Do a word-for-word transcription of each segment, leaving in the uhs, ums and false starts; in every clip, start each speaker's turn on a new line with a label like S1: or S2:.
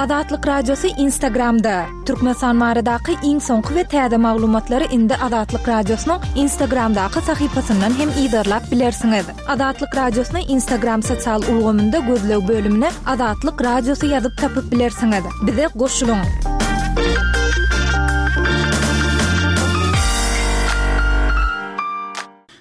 S1: Azatlyk Radiosy Instagramda. Türkmenistan baradaky iň soňky we täze maglumatlary indi Azatlyk Radiosynyň Instagramdaky sahypasyndan hem yzarlap bilersiňiz. Azatlyk Radiosyny Instagram sosial ulgamynda gözleg bölümine Azatlyk Radiosy ýazyp tapyp bilersiňiz. Bize goşulyň.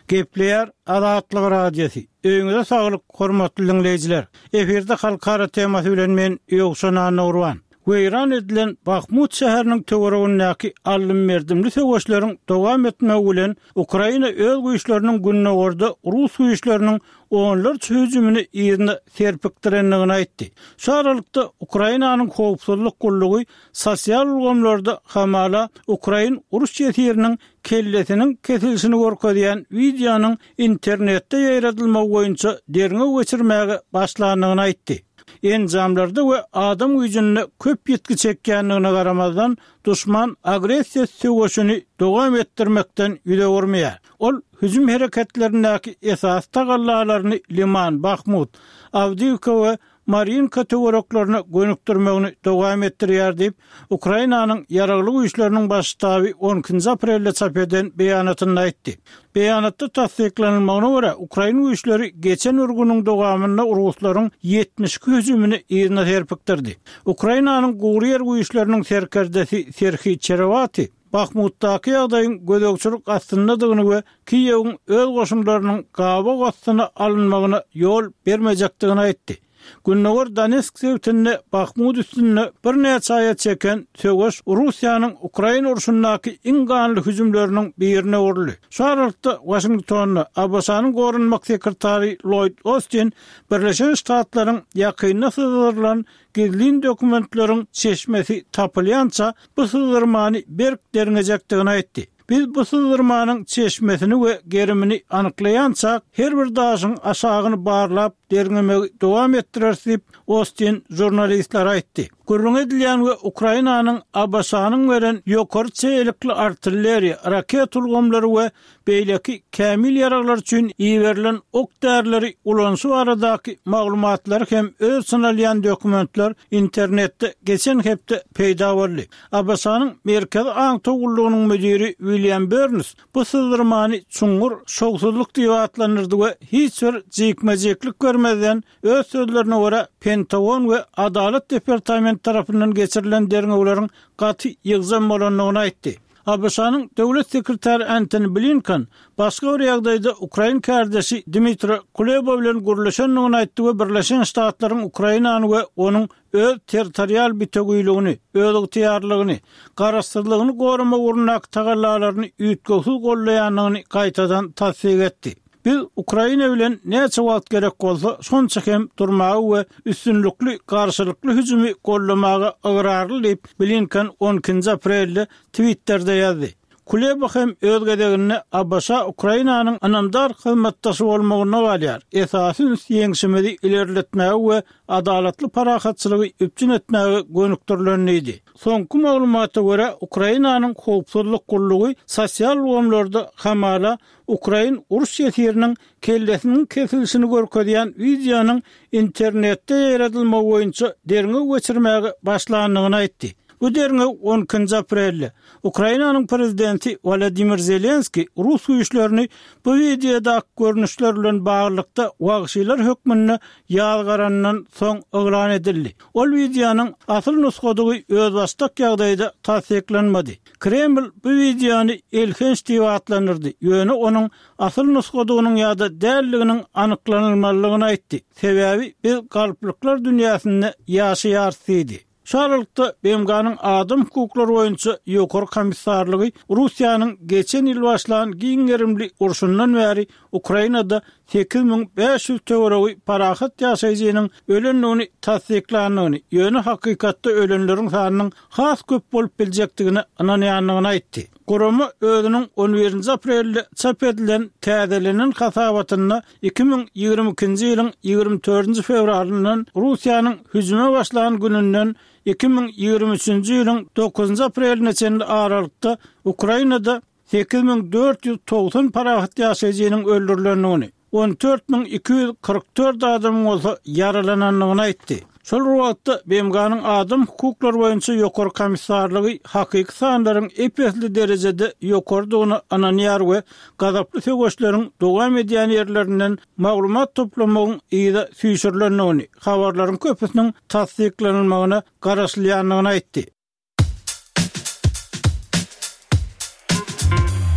S2: Gepleýär Azatlyk Radiosy. Öýüňize saglyk, hormatly diňleýjiler. Efirde halkara temasy bilen men Ýowşan Annagurban. Weýran edilen Bahmut şäheriniň töweregindäki aldym-berdimli söweşleriň dowam etmegi bilen Ukraina öz güýçleriniň gündogarda rus güýçleriniň onlarça hüjümini yzyna serpikdirendigini aýtdy. Şu aralykda Ukrainanyň howpsuzlyk gullugy sosial ulgamlarda hamala ukrain uruş ýesiriniň kellesiniň kesilişini görkezýän wideonyň internetde ýaýradylmagy boýunça derňew geçirmäge başlandygyny aýtdy. Enjamlarda we adam güýjünde köp ýitgi çekýändigine garamazdan, duşman agressiýa söweşini dowam etdirmekden ýüz öwürmeýär. Ol hüjüm hereketlerindäki esasy tagallalaryny Liman, Bahmut, Awdiýiwka we Marinka töwereklerine gönükdirmegini dowam etdirýär diýip, Ukrainanyň Ýaragly Güýçleriniň Baş ştaby on ikinji aprelde çap eden beýanatynda aýtdy. Beýanatda tassyklanylmagyna görä, ukrain güýçleri geçen bir günüň dowamynda ruslaryň ýetmiş iki hüjümini yzyna serpikdirdi. Ukrainanyň gury ýer güýçleriniň serkerdesi Serhiý Çerewati Bahmutdaky ýagdaýyň gözegçilik astyndadygyny we Kiýewiň öz goşunlarynyň gabaw astyna alynmagyna ýol bermejekdigini aýtdy. Gündogar Donetsk sebitinde Bahmut üstünde birnäçe aýa çeken söweş Russiýanyň Ukraina urşundaky iň ganly hüjümleriniň birine öwrüldi. Şu aralykda Waşingtonda ABŞ-nyň goranmak sekretary Lloýd Ostin Birleşen Ştatlaryň ýakynda syzdyrylan gizlin dokumentleriň çeşmesi tapylýança bu syzdyrmany berk derňejekdigini aýtdy. Biz bu syzdyrmanyň çeşmesini we gerimini anyklaýançak, her bir daşyň aşagyny barlap, derňemegi dowam etdireris diýip, Ostin žurnalistlere aýtdy. Gürrüňi edilýän we Ukrainanyň ABŞ-nyň beren ýokary çeýelikli artilleriýa, raketa ulgamlary we beýleki kämil ýaraglar üçin iberilen ok-därileri ulanyşy baradaky maglumatlary hem öz içine alýan dokumentler internetde geçen hepde peýda boldy. ABŞ-nyň Merkezi aňtaw gullugynyň müdiri William Berns bu syzdyrmany çuňňur şowsuzlyk diýip atlandyrdy we hiç bir jikme-jiklik bermezden, öz sözlerine görä, Pentagon we Adalat departamenti tarapyndan geçirilen derňewleriň gaty ýygjam bolandygyny aýtdy. ABŞ-nyň Döwlet sekretary Antony Blinken başga bir ýagdaýda ukrain kärdeşi Dmitro Kuleba bilen gürleşendigini aýtdy we Birleşen Ştatlaryň Ukrainany we onuň öz territorial bitewüligini, özygtyýarlylygyny, garaşsyzlygyny goramak ugrundaky tagallalaryny üýtgewsiz goldaýandygyny gaýtadan tassyk etdi. Biz Ukraina bilen näçe wagt gerek bolsa, şonça hem durmaga we üstünlikli garşylykly hüjümi goldamaga ygrarly diýip, Blinken on ikinji aprelde Twitterde ýazdy. Kuleba hem öz gezeginde ABŞ Ukrainanyň ynamdar hyzmatdaşy bolmagynda galýar, esasy üns ýeňşimizi ilerletmäge we adalatly parahatçylygy üpjün etmäge gönükdirilen diýdi. Soňky maglumata görä, Ukrainanyň howpsuzlyk gullugy sosial ulgamlarda hamala ukrain uruş ýesiriniň kellesiniň kesilişini görkezýän wideonyň internetde ýaýradylmagy boýunça derňew geçirmäge başlandygyny aýtdy. Bu derňew on ikinji aprelde Ukrainanyň prezidenti Wolodymyr Zelenskiý rus güýçlerini bu wideodaky görnüşler bilen baglylykda wagşylar hökmünde ýazgarandan soň yglan edildi. Ol wideonyň asyl nusgadygy özbaşdak ýagdaýda tassyklanmady. Kreml bu wideony elhenç diýip atlandyrdy, ýöne onuň asyl nusgadygynyň ýa-da däldiginiň anyklanylmalydygyny aýtdy, sebäbi biz galplyklar dünýäsinde ýaşaýarys diýdi. Şu aralykda, B M G-nyň Adam hukuklary boýunça Ýokary komissarlygy Russiýanyň geçen ýyl başlan giň gerimli urşundan bäri Ukrainada sekiz müň bäş ýüz töweregi parahat ýaşaýjynyň ölendigini tassyklandygyny, ýöne hakykatda ölenleriň sanynyň has köp bolup biljekdigine ynanýandygyny aýtdy. Gurama özüniň on birinji aprelde çap edilen täzelenen hasabatynda iki müň ýigrimi ikinji ýylyň ýigrimi dördünji fewralyndan Russiýanyň hüjüme başlan gününden iki müň ýigrimi üçünji ýylyň dokuzynjy apreline çenli aralykda Ukrainada sekiz müň dört ýüz togsan parahat ýaşaýjynyň öldürilendigini, on dört müň iki ýüz kyrk dört adamyň bolsa ýaralanandygyny aýtdy. Şol bir wagtda B M G-nyň adam hukuklary boýunça ýokary komissarlygy hakyky sanlaryň ep-esli derejede ýokarydygyna ynanýar we gazaply söweşleriň dowam edýän ýerlerinden maglumat toplamagyň yza süýşürilendigini, habarlaryň köpüsiniň tassyklanylmagyna garaşylýandygyny aýtdy.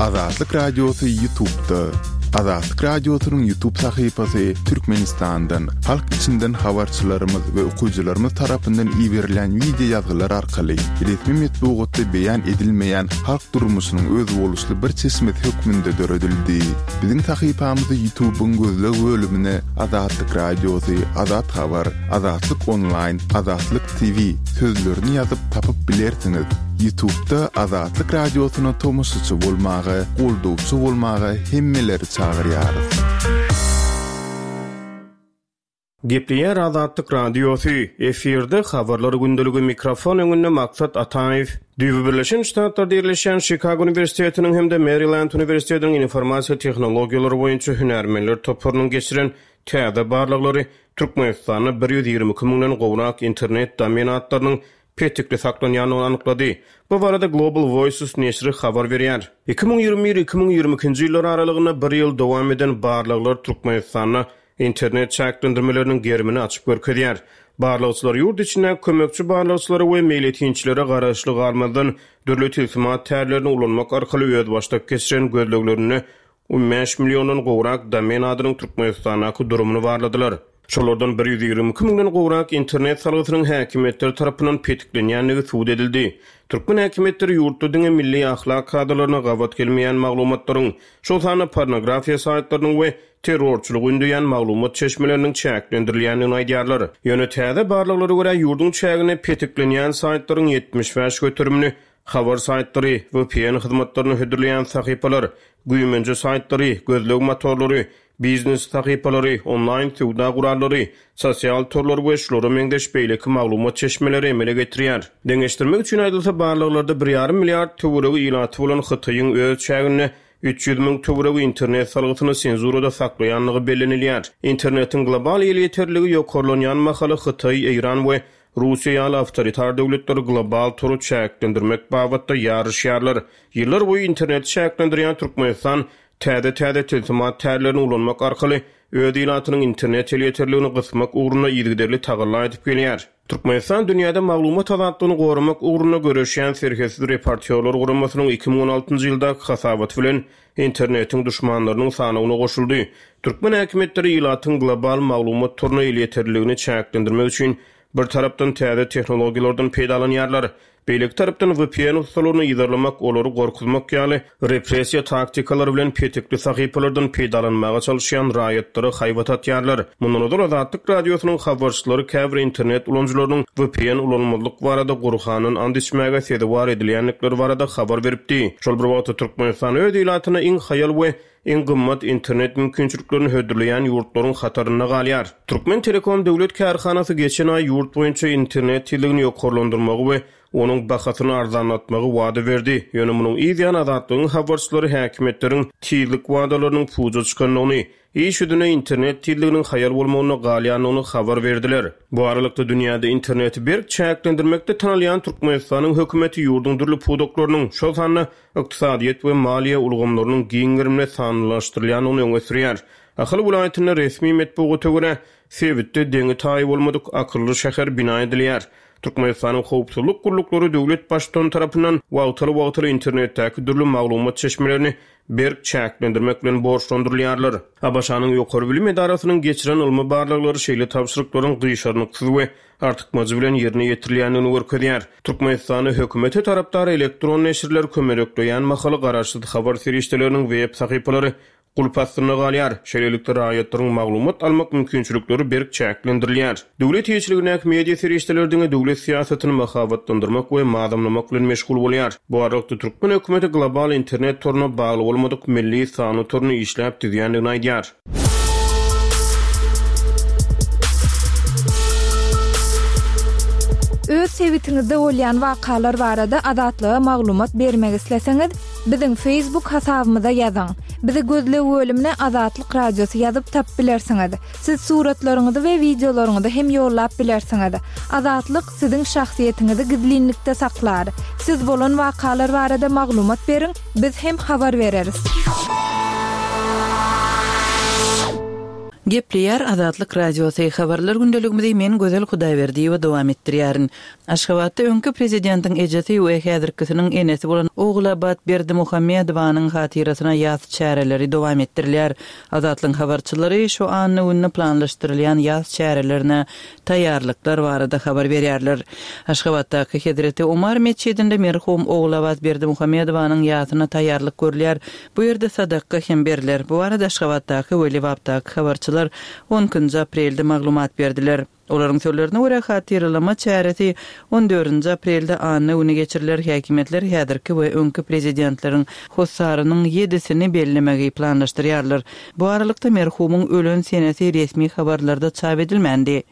S3: Azatlyk Radiosy YouTube'da. Azatlyk Radiosynyň YouTube sahypasy Türkmenistandan, halk içinden habarçylarymyz we okyjylarymyz tarapyndan iberilen wideo ýazgylar arkaly resmi metbugatda beýan edilmeýän halk durmuşynyň özboluşly bir çeşmesi hökmünde döredildi. Biziň sahypamyzy YouTube'yň gözleg bölümine Azatlyk Radiosy, Azat Habar, Azatlyk Online, Azatlyk T V sözlerini ýazyp tapyp bilersiňiz. YouTube'da Azatlyk Radiosyna tomaşaçy bolmaga, goldawçy bolmaga hemmeleri çagyrýarys.
S4: Gepleýär Azatlyk Radiosy. Efirde habarlar gündeligi, mikrofon öňünde Maksat Ataýew. Düýbi Birleşen Ştatlarda ýerleşýän Chicago Uniwersitetiniň hem-de Maryland Uniwersitetiniň informasiýa tehnologiýalary boýunça hünärmenler toparynyň geçiren täze barlaglary Türkmenistanda bir ýüz ýigrimi iki müňden gowrak internet domen atlarynyň petikli saklanýandygyny anyklady. Bu barada Global Voices neşiri habar berýär. iki müň ýigrimi bir-iki müň ýigrimi ikinji ýyllar aralygynda bir ýyl dowam eden barlaglar Türkmenistanda internet çäklendirmeleriniň gerimini açyp görkezýär. Barlagçylar ýurt içinde kömekçi barlagçylara we meýletinçilere garaşly galmazdan dürli tilsimat tärlerini ulanmak arkaly özbaşdak geçiren gözleglerinde on bäş milliondan gowrak domen adynyň Türkmenistandaky durumyny barladylar. Şolardan bir ýüz ýigrimi iki müňden gowrak internet salgysynyň häkimiýetler tarapyndan petiklenýändigi subut edildi. Türkmen häkimiýetleri ýurtda diňe milli ahlak kadalaryna gabat gelmeýän maglumatlaryň, şol sanda pornografiýa saýtlarynyň we terrorçylygy ündeýän maglumat çeşmeleriniň çäklendirilýändigini aýdýarlar. Ýöne täze barlaglara görä, ýurduň çäginde petiklenýän saýtlaryň ýetmiş bäş göterimini habar saýtlary, V P N hyzmatlaryny hödürleýän sahypalar, güýmenje saýtlary, gözleg motorlary, biznes sahypalary, onlaýn söwda gurallary, sosial torlar we şulara meňzeş beýleki maglumat çeşmeleri emele getirýär. Deňeşdirmek üçin aýdylsa, barlaglarda bir ýarym milliard töweregi ilaty bolan Hytaýyň öz çäginde üç ýüz müň töweregi internet salgysyny senzurada saklaýandygy bellenilýär. Internetiň global elýeterligi ýokarlanýan mahaly Hytaý, Eýran we Russiýa ýaly awtoritar döwletler global tory çäklendirmek babatda ýaryşýarlar. Ýyllar boýy internet çäklendirýän Türkmenistan täze-täze tilsimat tärlerini ulanmak arkaly öz ilatynyň internet elýeterligini gysmak ugrunda yzygiderli tagalla edip gelýär. Türkmenistan dünýäde maglumat azatlygyny goramak ugrunda göreşýän Serhetsiz reportýorlar guramasynyň iki müň on altynjy ýyldaky hasabaty bilen internetiň duşmanlarynyň sanawyna goşuldy. Türkmen häkimiýetleri ilatyň global maglumat toruna elýeterligini çäklendirmek üçin bir tarapdan täze tehnologiýalardan peýdalanýarlar. Beýleki tarapdan V P N ussalaryny yzarlamak, olary gorkuzmak ýaly repressiýa taktikalary bilen petikli sahypalardan peýdalanmaga çalışýan raýatlara haýbat atýarlar. Mundan ozal Azatlyk Radiosynyň habarçylary käbir internet ulanyjylarynyň V P N ulanmazlyk barada Gurhandan and içmäge sezewar edilýändikleri barada habar beripdi. Şol bir wagtda Türkmenistan öz ilatyna iň haýal we iň gymmat internet mümkinçiliklerini hödürleýän ýurtlaryň hatarynda galýar. Türkmen Telekom döwlet kärhanasy geçen aý ýurt boýunça internet tizligini ýokarlandyrmagy we onuň bahasyny arzanlatmagy wada berdi. Ýöne munuň yzýany Azatlygyň habarçylary häkimiýetleriň tizlik wadalarynyň puja çykandygyny, iş ýüzünde internet tizliginiň haýal bolmagyna galýandygyny habar berdiler. Bu aralykda dünýäde interneti berk çäklendirmekde tanalýan Türkmenistanyň hökümeti ýurduň dürli pudaklarynyň, şol sanda ykdysadyýet we maliýe ulgamlarynyň giň gerimli sanlylaşdyrylýandygyny öňe sürýär. Ahal welaýatynda resmi metbugata görä, sebitde deňi taýy bolmadyk akylly şäher bina edilýär. Türkmenistanyň howpsuzlyk gulluklary döwlet baştutany tarapyndan wagtal-wagtal internetdäki dürli maglumat çeşmelerini berk çäklendirmek bilen borçlandyrylýarlar. A B Ş-nyň ýokary bilim edarasynyň geçiren ylmy barlaglary şeýle tabşyryklaryň gyşarnyksyz we artykmajy bilen ýerine ýetirilýändigini görkezýär. Türkmenistanda hökümete tarapdar elektron neşirler kömelekleýän mahaly garaşsyz habar serişdeleriniň web sahypalary gulp astynda galýar. Şeýlelikde raýatlaryň maglumat almak mümkinçilikleri berk çäklendirilýär. Döwlet eýeçiligindäki media serişdeleri diňe döwlet syýasatyny mahabatlandyrmak we mazamlamak bilen meşgul bolýar. Bu aralykda türkmen hökümeti global internet toruna bagly bolmadyk milli sanly toruny işläp düzýändigini aýdýar.
S1: Öz sebitiňizde bolýan wakalar barada Azatlyga maglumat bermek isleseňiz, Biziň Facebook hasabymyza ýazyň. Bizi gözleg bölümine Azatlyk Radiosy ýazyp tapyp bilersiňiz. Siz suratlaryňyzy we wideolaryňyzy hem ýollap bilersiňiz. Azatlyk siziň şahsyýetiňizi gizlinlikde saklar. Siz bolan wakalar barada maglumat beriň, biz hem habar bereris.
S5: Gepleýär Azatlyk Radiosy, Habarlar gündeligimizi men Gözel Hudaýberdiýewa dowam etdirýärin. Aşgabatda öňki prezidentiň ejesi we häzirkisiniň enesi bolan Ogulabat Berdimuhamedowanyň hatyrasyna ýas çäreleri dowam etdirilýär. Azatlygyň habarçylary şu anna gününe planlaşdyrylýan ýas çärelerine taýýarlyklar barada habar berýärler. Aşgabatdaky Hezreti Omar metjidinde merhum Ogulabat Berdimuhamedowanyň ýasyna taýýarlyk görülýär. Bu ýerde sadaka hem berler. Bu barada Aşgabatdaky we Lebapdaky habarçylar on ikinji aprelde maglumat berdiler. Olaryň sözlerine görä hatyralama çäresi on dördünji aprelde anna güni geçiriler. Häkimiýetler häzirki we öňki prezidentleriň hossarynyň ýedisini bellemegi planlaşdyrýarlar. Bu aralykda merhumyň ölen senesi resmi habarlarda çap edilmändi.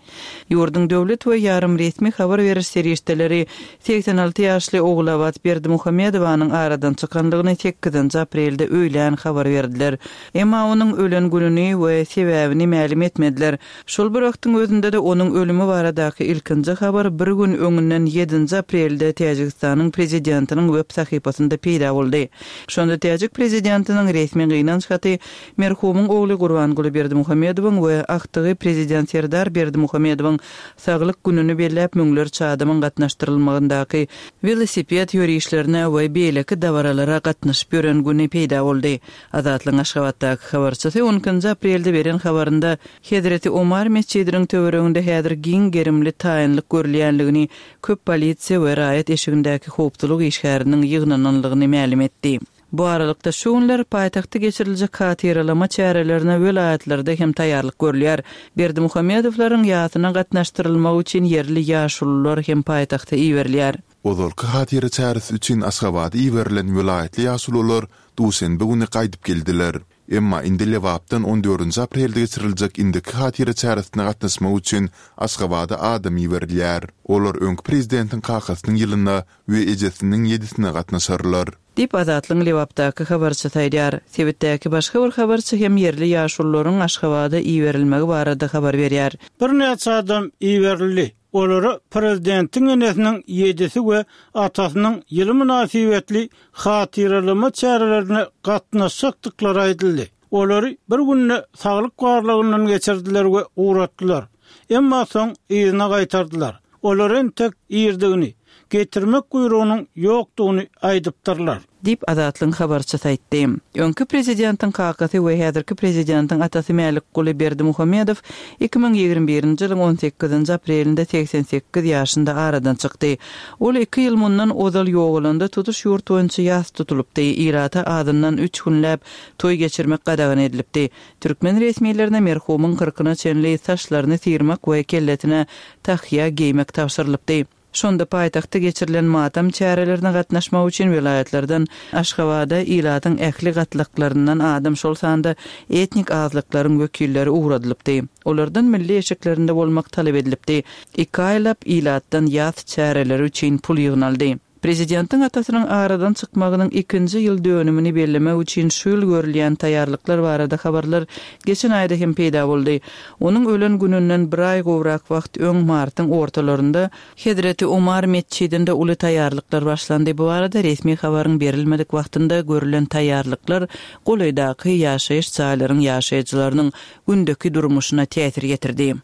S5: Ýurduň döwlet we ýarym resmi habar beriş serişdeleri seksen alty ýaşly Ogulabat Berdimuhamedowanyň aradan çykanlygyny sekizinji aprelde öýlän habar berdiler. Emma onuň ölen gününi we sebäbini mälim etmediler. Şol bir wagtyň özünde de onuň ölümi baradaky ilkinji habar bir gün öňünden ýedinji aprelde Täjigistanyň prezidentiniň web sahypasynda peýda boldy. Şonda Täjik prezidentiniň resmi gynanç haty merhumyň ogly Gurbanguly Berdimuhamedowyň we aktygy prezident Serdar Berdimuhamedowyň saglyk gününi belläp müňlerçe adamyň gatnaşdyrylmagyndaky welosiped ýörişlerine we beýleki dabaralara gatnaşyp ýören güni peýda boldy. Azatlygyň Aşgabatdaky habarçysy on ikinji aprelde beren habarynda Hezreti Omar metjidiniň töwereginde häzir giň gerimli taýynlyk görülýänligini, köp polisiýa we raýat eşigindäki howpsuzlyk işgäriniň ýygnananlygyny mälim etdi. Bu aralykda şu günler paýtagtda geçiriljek hatyralama çärelerine welaýatlarda hem taýýarlyk görülýär. Berdimuhamedowlaryň ýasyna gatnaşdyrylmagy üçin ýerli ýaşulular hem paýtagta iberilýär.
S3: Ozalky hatyra çäresi üçin Aşgabada iberilen welaýatly ýaşulular duşenbe güni gaýdyp geldiler. Emma indi Lebapdan on dördünji aprelde geçiriljek indiki hatyra çäresine gatnaşmak üçin Aşgabada adam iberilýär. Olar öňki prezidentiň kakasynyň ýylyna we ejesiniň ýedisine gatnaşarlar.
S5: Diýip Azatlygyň Lebapdaky habarçysy aýdýar. Sebitdäki başga bir habarçy hem ýerli ýaşulularyň Aşgabada iberilmegi barada habar berýär.
S2: Birnäçe adam iberildi. Olara prezidentiň enesiniň ýedisi we atasynyň ýyly mynasybetli hatyralama çärelerine gatnaşjakdyklary aýdyldy. Olary bir günde saglyk barlagyndan geçirdiler we uğratdylar. Emma soň yzyna gaýtardylar. Olar entek irdigini, getirmek buýrugynyň ýokdugyny aýdypdyrlar.
S5: Diýip Azatlygyň habarçysy aýtdy. Öňki prezidentiň kakasy we häzirki prezidentiň atasy Mälikguly Berdimuhamedow iki müň ýigrimi birinji ýylyň on sekizinji aprelinde seksen sekiz ýaşynda aradan çykdy. Ol iki ýyl mundan ozal ýogalanda tutuş ýurt boýunça ýas tutulypdy. Ilata azyndan üç günläp toý geçirmek gadagan edilipdi. Türkmen resmilerine merhumyň kyrkyna çenli saçlaryny syrmak we kellesine tahýa geýmek tabşyrylypdy. Şonda paýtagtda geçirilen matam çärelerine gatnaşmak üçin welaýatlardan Aşgabada ilatyň ähli gatlaklaryndan adam şol sanda etnik azlyklaryň wekilleri ugradylypdy. Olardan milli eşiklerinde bolmak talap edilipdi. Iki aýlap ilatdan ýas çäreleri üçin pul ýygnaldy. Prezidentiň atasynyň aradan çykmagynyň ikinji ýyl dönümini bellemek üçin şu ýyl görülýän taýýarlyklar barada habarlar geçen aýda hem peýda boldy. Onuň ölen gününden bir aý gowrak wagt öň martyň ortalarynda Hezreti Omar metjidinde uly taýýarlyklar başlandy. Bu arada resmi habaryň berilmedik wagtynda görülen taýýarlyklar golaýdaky ýaşaýyş jaýlaryň ýaşaýjylarynyň gündeki durmuşyna täsir getirdi.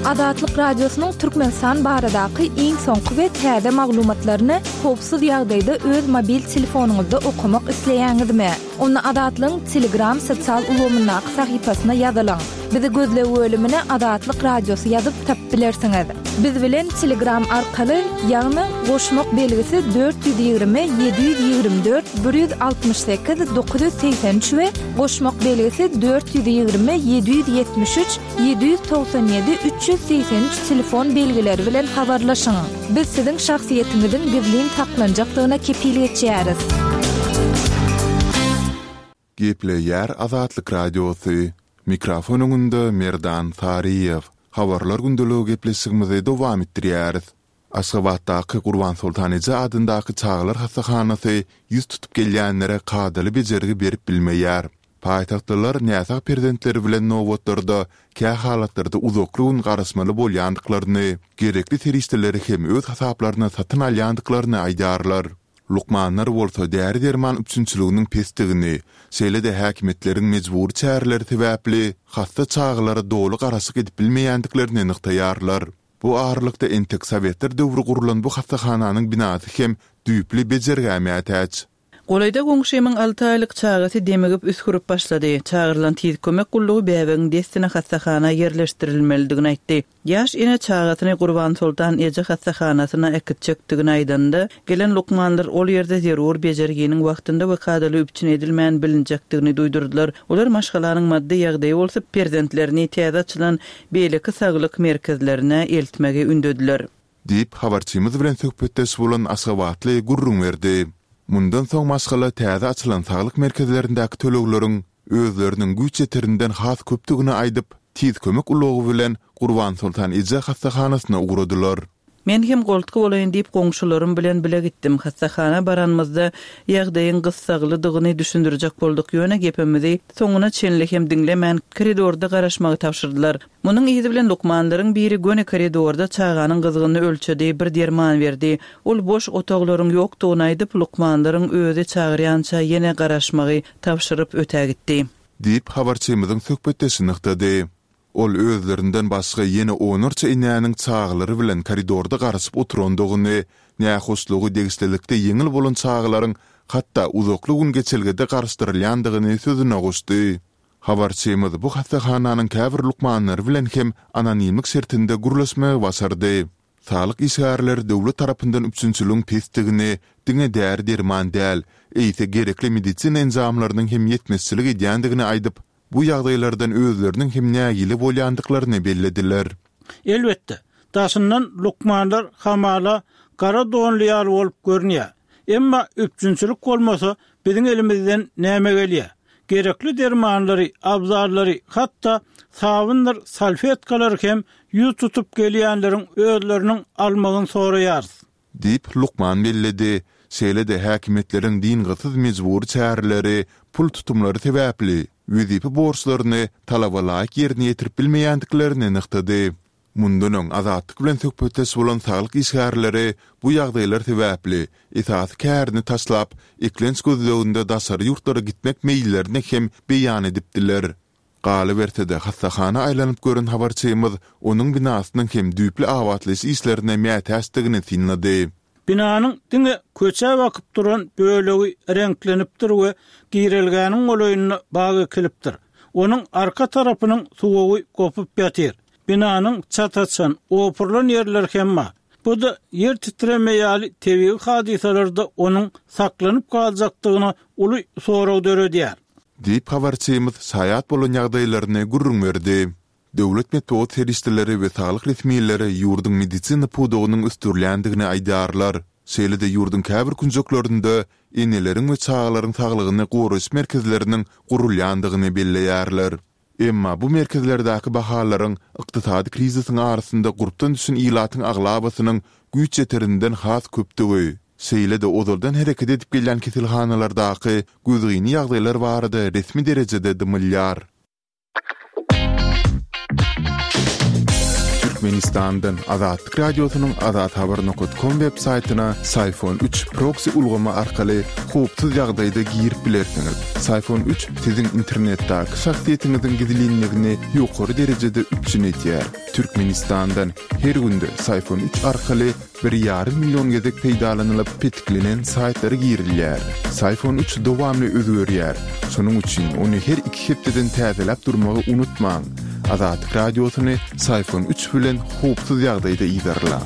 S1: Azatlyk Radiosynyň Türkmenistan baradaky iň soňky we täze maglumatlaryny howpsuz ýagdaýda öz mobil telefonyňyzda okamak isleýäňizmi? Onda Azatlygyň Telegram sosial ulgamyndaky sahypasyna ýazylyň. Bizi gözleg bölümine Azatlyk Radiosy ýazyp tapyp bilersiňiz. Biz bilen Telegram arkaly, ýagny goşmak belgisi dört ýüz ýigrimi, ýedi ýüz ýigrimi dört, bir ýüz altmyş sekiz, dokuz ýüz segsen üç we goşmak belgisi dört ýüz ýigrimi, ýedi ýüz ýetmiş üç, ýedi ýüz togsan ýedi, üç ýüz segsen üç telefon belgileri bilen habarlaşyň. Biz siziň şahsyýetiňiziň gizlin saklanjakdygyna kepil geçýäris.
S3: Gepleýär Azatlyk Radiosy. Mikrofon öňünde Merdan Saryýew. Habarlar gündeligi gepleşigimizi dowam etdirýäris. Aşgabatdaky Gurbansoltan eje adyndaky çagalar hassahanasy ýüz tutup gelýänlere kadaly bejergi berip bilmeýär. Paýtagtlylar näsag perzentleri bilen nobatlarda, kähalatlarda uzakly gün garaşmaly bolýandyklaryny, gerekli serişdeleri hem öz hasaplaryna satyn alýandyklaryny aýdýarlar. Lukmanlar bolsa däri-derman üpjünçiliginiň pesdigini, şeýle-de häkimiýetleriň mejbury çäreleri sebäpli hassa çagalara doly garaşyk edip bilmeýändiklerini nygtaýarlar. Bu aralykda entek sowetler döwri gurlan bu hassahananyň binasy hem düýpli bejergä mätäç.
S5: Golaýda goňşymyň alty aýlyk çagasy demigip üsgürip başlady. Çagyrylan tiz kömek gullugy bäbegiň dessine hassahana ýerleşdirilmelidigini aýtdy. Ýaş ene çagasyny Gurbansoltan eje hassahanasyna äkitjekdigini aýdanynda, gelen lukmanlar ol ýerde zerur bejerginiň wagtynda we kadaly üpjün edilmän bilinjekdigini duýdurdylar. Olar maşgalanyň maddy ýagdaýy bolsa perzentlerini täze açylan beýleki saglyk merkezlerine eltmegi ündediler.
S3: Diýip, habarçymyz bilen söhbetdeş bolan aşgabatly gürrüň berdi. Mundan soň maşgala täze açylan saglyk merkezlerindäki tölegleriň özleriniň güýç ýeterinden has köpdügini aýdyp, Tiz kömek ulagy bilen Gurbansoltan eje hassahanasyna ugradylar.
S5: Men hem goltgy bolaýyn diýip goňşularym bilen bile gitdim. Hassahana baranymyzda ýagdaýyň gyssaglydygyny düşündirjek bolduk, ýöne gepimizi soňuna çenli hem diňlemän, koridorda garaşmagy tabşyrdylar. Munuň yzy bilen lukmanlaryň biri göni koridorda çaganyň gyzgynyny ölçedi, bir derman berdi. Ol boş otaglaryň ýokdugyny aýdyp, lukmanlaryň özi çagyrýança ýene garaşmagy tabşyryp ötägitdi.
S3: Diýip, habarçymyzyň söhbetdeşi nygtady. Ol özlerinden başga ýene onlarça enäniň çagalary bilen koridorda garaşyp oturandygyny, nähoşlugy degişlilikde ýeňil bolan çagalaryň hatda uzakly gün geçelgede garaşdyrylýandygyny sözüne goşdy. Habarçymyz bu hassahananyň käbir lukmanlary bilen hem anonimlik şertinde gürleşmegi başardy. Saglyk işgärleri döwlet tarapyndan üpjünçiligiň pesdigini, diňe däri-derman däl, eýse gerekli medisina enjamlarynyň hem ýetmezçilik edýändigini aýdyp, bu ýagdaýlardan özleriniň hem nägile bolýandyklaryny bellediler.
S2: Elbetde, daşyndan lukmanlar hamala gara donly ýaly bolup görünýär. Emma üpjünçilik bolmasa, biziň elimizden näme gelýär? Gerekli dermanlary, abzallary, hatda sabyndyr salfetkalary hem ýüz tutup gelýänleriň özleriniň almagyny soraýarys.
S3: Diýip, lukman belledi. Şeýle-de häkimiýetleriň dyngysyz mejbury çäreleri, pul tutumlary sebäpli, wezipe borçlaryny talaba laýyk ýerine ýetirip bilmeýändiklerini nygtady. Mundan öň Azatlyk bilen söhbetdeş bolan saglyk işgärleri bu ýagdaýlar sebäpli, esasy kärini taşlap, eklenç gözleginde daşary ýurtlara gitmek meýillerini hem beýan edipdiler. Galyberse-de, hassahana aýlanyp gören habarçymyz onuň binasynyň hem düýpli abatlaýyş işlerine mätäçdigini synlady.
S2: Binanyň diňe köçä bakyp duran bölegi reňklenipdir we girelgäniň golaýynda bag ekilipdir. Onuň arka tarapynyň suwagy gopup ýatyr. Binanyň çat açan, opurylan ýerleri hem bar. Bu-da ýer titreme ýaly tebigy hadysalarda onuň saklanyp galjakdygyna uly sorag döredýär.
S3: Diýip, habarçymyz şaýat bolan ýagdaýlaryny gürrüň berdi. Döwlet metbugat serişdeleri we saglyk resmileri ýurduň medisina pudagynyň ösdürilýändigini aýdýarlar. Şeýle-de ýurduň käbir künjeklerinde eneleriň we çagalaryň saglygyny goraýyş merkezleriniň gurulýandygyny belleýärler. Emma bu merkezlerdäki bahalaryň ykdysady krizisiň arasynda gurpdan düşen ilatyň aglabasynyň güýç ýeterinden has köpdügi, şeýle-de ozaldan hereket edip gelýän keselhanalardaky gözgyny ýagdaýlar barada resmi derejede dymylýar. Türkmenistandan Azatlyk Radiosynyň azathabar nokat kom web saýtyna Syfon üç proksi ulgamy arkaly howpsuz ýagdaýda girip bilersiňiz. Syfon üç siziň internetdäki şahsyýetiňiziň gizlinligini ýokary derejede üpjün edýär. Türkmenistandan her günde Syfon üç arkaly bir ýarym million gezek peýdalanylyp petiklenen saýtlara girilýär. Syfon üç dowamly özgerýär. Şonuň üçin ony her iki hepdeden täzeläp durmagy unutmaň. Azatlyk Radiosyny Syfon üç bilen howpsuz ýagdaýda yzarlaň.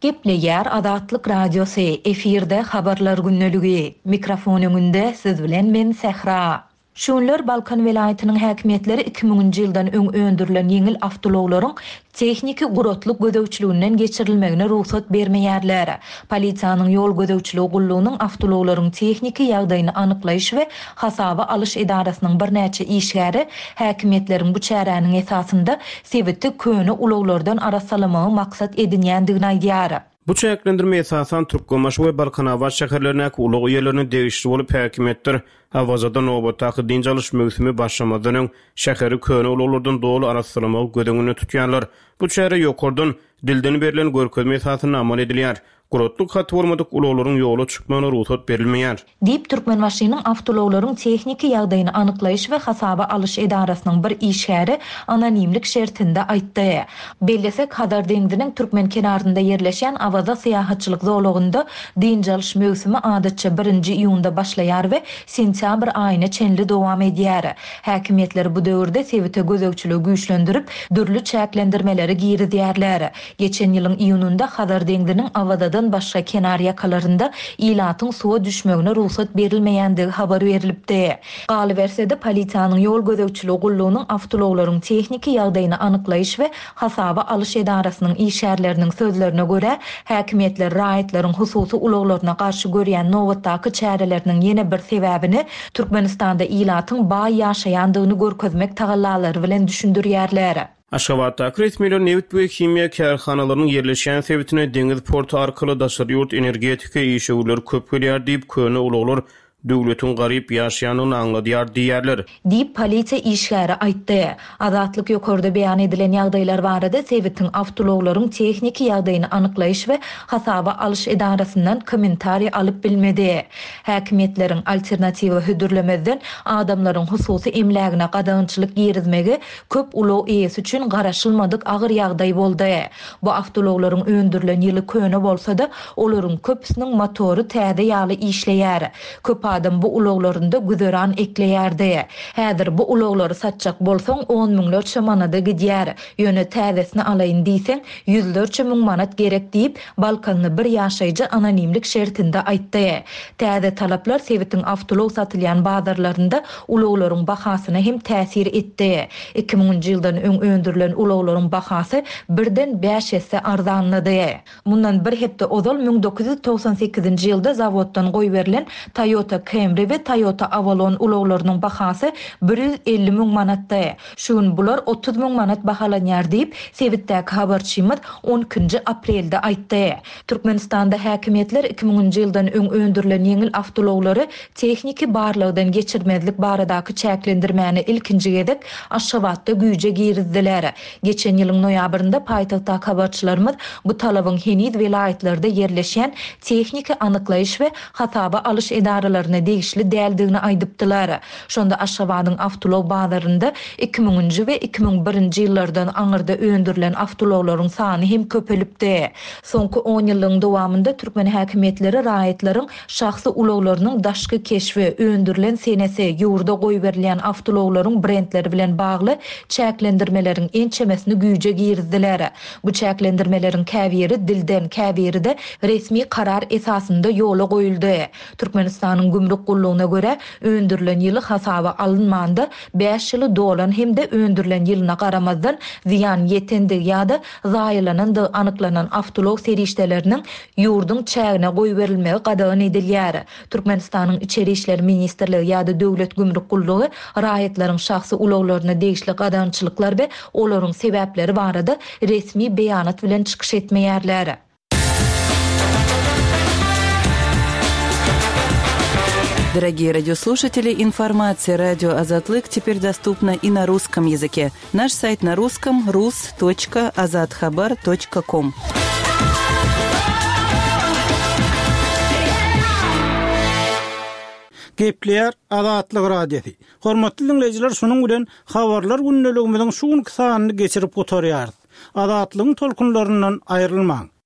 S1: Gepleýär Azatlyk Radiosy, efirde Habarlar gündeligi. Mikrofon öňünde siz bilen men Sähra. Şu günler Balkan welaýatynyň häkimiýetleri iki müňünji ýyldan öň öndürilen ýeňil awtoulaglaryň tehniki guratlyk gözegçiliginden geçirilmegine rugsat bermeýärler. Polisiýanyň ýol gözegçiligi gullugynyň awtoulaglaryň tehniki ýagdaýyny anyklaýyş we hasaba alyş edarasynyň birnäçe işgäri häkimiýetleriň bu çäräniň esasynda sebiti köne ulaglardan arassalamagy maksat edinýändigini aýdýar.
S4: Bu çäklendirme esasan Türkmenbaşy we Balkanabat şäherlerindäki ulag eýelerine degişli bolup, häkimiýetler Awazada nobatdaky dynç alyş möwsümi başlamazdan öň şäheri köne ulaglardan doly arassalamagy göz öňünde tutýarlar. Bu çäre ýokardan, dilden berlen görkezme esasynda amal edilýär. Guratlyk haty bolmadyk ulaglaryň ýola çykmagyna rugsat berilmeýär.
S1: Diýip, Türkmenbaşynyň awtoulaglaryň tehniki ýagdaýyny anyklaýyş we hasaba alyş edarasynyň bir işgäri anonimlik şertinde aýtdy. Bellesek, Hazar deňziniň türkmen kenarynda ýerleşýän Awaza syýahatçylyk zolagynda dynç alyş möwsümi adatça birinji iýunda başlaýar we sentýabr aýyna çenli dowam edýär. Häkimiýetler bu döwürde sebite gözegçiligi güýçlendirip, dürli çäklendirmeleri girizýärler. Geçen ýylyň iýunynda Hazar deňziniň Awazadan başga kenar ýakalarynda ilatyň suwa düşmegine rugsat berilmeýändigi habar berlipdi. Galyberse-de, polisiýanyň ýol gözegçiligi gullugynyň awtoulaglaryň tehniki ýagdaýyny anyklaýyş we hasaba alyş edarasynyň işgärleriniň sözlerine görä, häkimiýetler raýatlaryň hususy ulaglaryna garşy görýän nobatdaky çäreleriniň ýene bir sebäbini Türkmenistanda ilatyň baý ýaşaýandygyny görkezmek tagallalary bilen düşündirýärler.
S4: Aşgabatdaky resmiler nebit we himiýa kärhanalarynyň ýerleşýän sebitine deňiz porty arkaly daşary ýurt energetika işewürleri köp gelýär diýip, köne ulaglar döwletiň garyp ýaşaýandygyny aňladýar diýýärler.
S1: Diýip, polisiýa işgäri aýtdy. Azatlyk ýokarda beýan edilen ýagdaýlar barada sebitiň awtoulaglaryň tehniki ýagdaýyny anyklaýyş we hasaba alyş edarasyndan kommentariý alyp bilmedi. Häkimiýetleriň alternatiwa hödürlemezden adamlaryň hususy emlägine gadagançylyk girizmegi köp ulag eýesi üçin garaşylmadyk agyr ýagdaý boldy. Bu awtoulaglaryň öndürilen ýyly köne bolsa-da, olaryň köpüsiniň motory täze ýaly işleýär. Köp adam bu ulaglarynda güzeran ekleýärdi. Häzir bu ulaglary satjak bolsaň, on müňlerçe manada gidýär. Ýöne täzesini alaýyn diýseň, ýüzlerçe müň manat gerek diýip, balkanly bir ýaşaýjy anonimlik şertinde aýtdy. Täze talaplar sebitiň awtoulag satylýan bazarlarynda ulaglaryň bahasyna hem täsir etdi. Iki müňünji ýyldan öň öndürilen ulaglaryň bahasy birden bäş esse arzanlady. Mundan bir hepde ozal müň dokuz ýüz togsan sekizinji ýylda zawoddan goýberilen Toyota Camry we Toyota Avalon ulaglarynyň bahasy bir ýüz elli müň manatdy. Şu gün bular otuz müň manat bahalanýar diýip, sebitdäki habarçymyz on ikinji aprelde aýtdy. Türkmenistanda häkimiýetler iki müňünji ýyldan öň öndürilen ýeňil awtoulaglary tehniki barlagdan geçirmezlik baradaky çäklendirmäni ilkinji gezek Aşgabatda güýje girizdiler. Geçen ýylyň noýabrynda paýtagtdaky habarçylarymyz bu talabyň heniz welaýatlarda ýerleşýän tehniki anyklaýyş we hasaba alyş edaralaryna degişli däldigini aýdypdylar. Şonda Aşgabadyň awtoulag bazarynda iki müňünji we iki müň birinji ýyllardan aňyrda öndürilen awtoulaglaryň sany hem köpelipdi. Soňky on ýyllygyň dowamynda türkmen häkimiýetleri raýatlaryň şahsy ulaglarynyň daşky keşbi, öndürilen senesi, ýurda goýberilýän awtoulaglaryň brendleri bilen bagly çäklendirmeleriň ençemesini güýje girizdiler. Bu çäklendirmeleriň käbiri dilden, käbiri-de resmi karar esasynda ýola goýuldy. Türkmenistanyň gümrük gullugyna görä, öndürilen ýyly hasaba alynmanda bäş ýyly dolan hem-de öndürilen ýylyna garamazdan zyýan ýetendigi ýa-da zaýalanandygy anyklanan awtoulag serişdeleriniň ýurduň çägine goýberilmegi gadagan edilýär. Türkmenistanyň Içeri işler ministrligi ýa-da Döwlet gümrük gullugy raýatlaryň şahsy ulaglaryna degişli gadagançylyklar we olaryň sebäpleri barada resmi beýanat bilen çykyş etmeýärler.
S5: Дорогие радиослушатели, информация радио Азатлык теперь доступна и на русском языке. Наш сайт на русском рус точка азатхабар точка ком.
S2: Gepleýär Azatlyk Radiosy. Hormatly dinleýjiler, şunuň bilen habarlar gündeligimiziň şu günki sanyny geçirip gutarýarys. Azatlygyň tolkunlaryndan aýrylmaň.